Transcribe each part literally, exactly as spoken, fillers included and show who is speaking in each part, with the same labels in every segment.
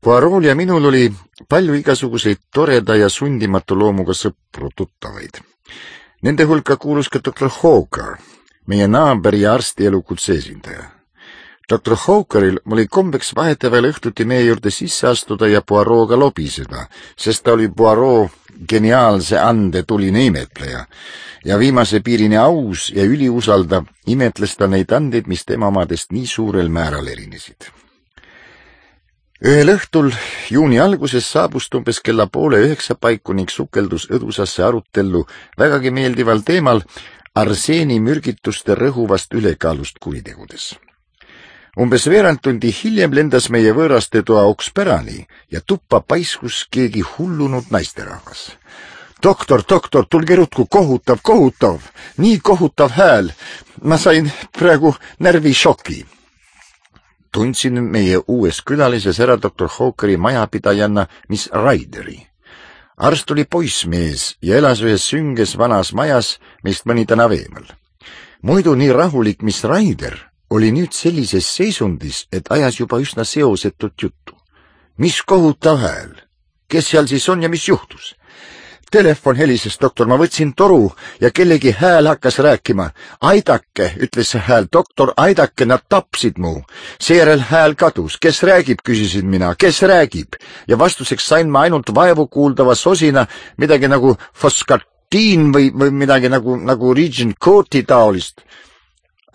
Speaker 1: Poirol ja minul oli palju igasuguseid toreda ja sundimatu loomuga sõpru tuttavaid. Nende hulka kuulus ka doktor Hawker, meie naaber ja arsti elukutse esindaja. doktor Hawkeril oli kombeks vahetevahel õhtuti meie juurde sisse astuda ja Poirot'ga lobiseda, sest ta oli Poirot geniaalse ande tuline imetleja ja viimase piirini aus ja üliusaldav imetles ta neid andeid, mis tema omadest nii suurel määral erinesid. Ühel õhtul juuni alguses saabus umbes kella poole üheksa paiku ning sukeldus õdusasse arutellu vägagi meeldival teemal arseeni mürgituste rõhuvast ülekaalust kuritegudes. Umbes veerand tundi hiljem lendas meie võõraste toa okspärani ja tuppa paiskus keegi hullunud naisterahvas. Doktor, doktor, tulge rutku, kohutav, kohutav, nii kohutav hääl. Ma sain praegu närvišoki. Tundsin meie uues külalises ära doktor Hawkeri majapidajanna Miss Ryderi. Arst oli poissmees ja elas ühes sünges vanas majas, mist mõni tänav eemal. Muidu nii rahulik Miss Ryder oli nüüd sellises seisundis, et ajas juba üsna seosetut juttu. Mis kohutav hääl? Kes seal siis on ja mis juhtus? Telefon helises, doktor, ma võtsin toru ja kellegi hääl hakkas rääkima. Aidake, ütles see hääl, doktor, aidake, nad tapsid mu. Seejärel hääl kadus. Kes räägib, küsisin mina, kes räägib? Ja vastuseks sain ma ainult vaevu kuuldava sosina midagi nagu foskartiin või, või midagi nagu, nagu Regent Courti taolist.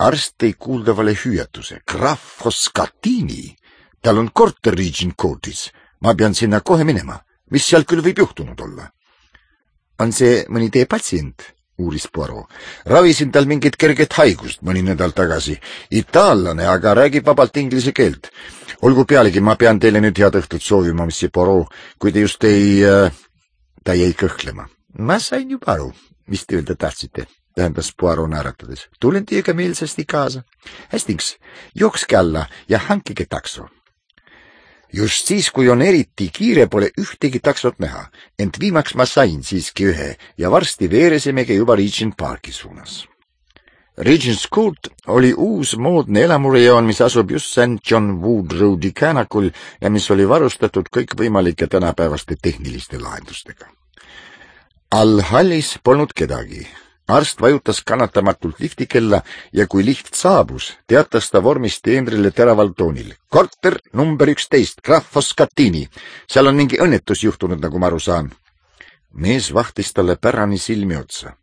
Speaker 1: Arst tõi kuuldavale hüüatuse. Graf Foskartini? Tal on korter Regent Courtis. Ma pean sinna kohe minema. Mis seal küll võib juhtunud olla? On see mõni teie patsient? Uuris Poirot. Ravisin tal mingit kerget haigust mõni nädal tagasi. Itaallane, aga räägib vabalt inglise keelt. Olgu pealegi, ma pean teile nüüd head õhtut soovima, monsieur Poirot, kui te just ei... Äh, ta jäi kõhklema. Ma sain juba aru, mis te öelda tahtsite, tähendas Poirot nääratades. Tulen teiega meelsasti kaasa. Hästiks, jookske alla ja hankige takso. Just siis, kui on eriti kiire, pole ühtegi taksot näha, ent viimaks ma sain siiski ühe ja varsti veeresimegi juba Regent Parki suunas. Regent's Court oli uus moodne elamurejoon, mis asub just Saint John Wood Roadi käänakul ja mis oli varustatud kõikvõimalike tänapäevaste tehniliste lahendustega. All hallis polnud kedagi. Arst vajutas kannatamatult liftikella ja kui lift saabus, teatas ta vormist teenrile teraval toonil. Korter number üksteist, Graf Foskartini. Seal on mingi õnnetus juhtunud, nagu ma aru saan. Mees vahtis talle pärani silmi otsa.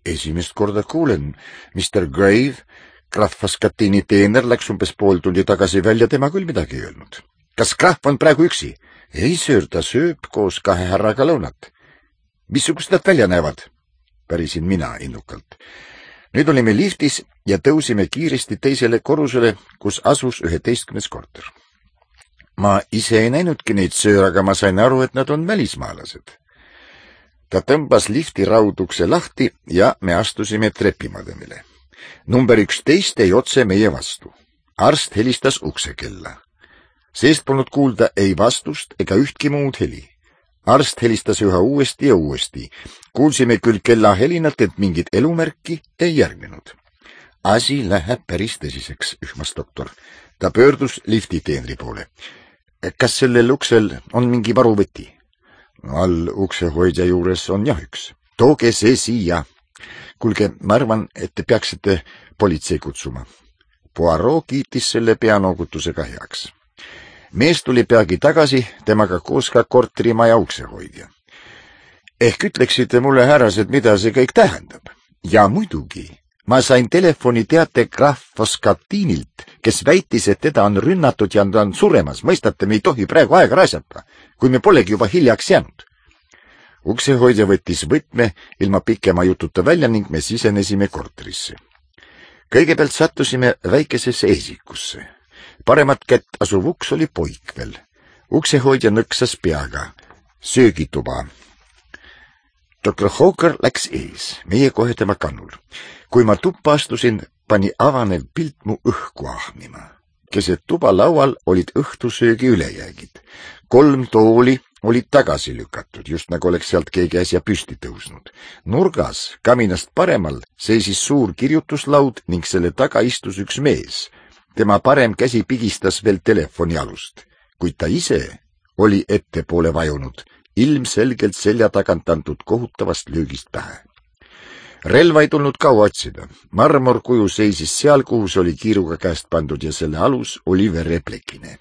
Speaker 1: Esimest korda kuulen, mister Grave, Graf Foskartini teener läks umbes pool tundi tagasi välja, tema küll midagi ei öelnud. Kas Graf on praegu üksi? Ei, söör, ta sööb koos kahe härraga lõunat. Missugust nad välja näevad? Pärisin mina innukalt. Nüüd olime liftis ja tõusime kiiresti teisele korrusele, kus asus üheteistkümnes korter. Ma ise ei näinudki neid söör, aga ma sain aru, et nad on välismaalased. Ta tõmbas lifti raudukse lahti ja me astusime trepimademile. Number üksteist jäi otse meie vastu. Arst helistas uksekella. Seest polnud kuulda ei vastust ega ühtki muud heli. Arst helistas üha uuesti ja uuesti. Kuulsime küll kella helinat, et mingit elumärki ei järgnenud. Asi läheb päris tõsiseks, ühmas doktor. Ta pöördus liftiteenri poole. Kas sellel uksel on mingi varuvõti? All uksehoidja juures on jah üks. Tooge see siia. Kuulge, ma arvan, et te peaksite politsei kutsuma. Poirot kiitis selle peanoogutusega heaks. Mees tuli peagi tagasi, temaga koos ka korterimaja uksehoidja. Ehk ütleksite mulle, härrased, mida see kõik tähendab? Ja muidugi, ma sain telefoni teate Graf Foskartinilt, kes väitis, et teda on rünnatud ja ta on suremas. Mõistate, me ei tohi praegu aega raisata, kui me polegi juba hiljaks jäänud. Uksehoidja võttis võtme ilma pikema jututa välja ning me sisenesime korterisse. Kõigepealt sattusime väikesesse esikusse. Paremat kätt asuv uks oli poik veel. Uksehoidja nõksas peaga. Söögituba. doktor Hawker läks ees, meie kohe tema kannul. Kui ma tuppa astusin, pani avanev pilt mu õhku ahmima. Keset tuba laual olid õhtusöögi ülejäägid. Kolm tooli olid tagasi lükatud, just nagu oleks sealt keegi äsja püsti tõusnud. Nurgas, kaminast paremal, seisis suur kirjutuslaud ning selle taga istus üks mees. Tema parem käsi pigistas veel telefoni alust, kuid ta ise oli ettepoole vajunud, ilmselgelt selja tagant antud kohutavast löögist pähe. Relva ei tulnud kaua otsida. Marmorkuju seisis seal, kuhu see oli kiiruga käest pandud ja selle alus oli vereplekine.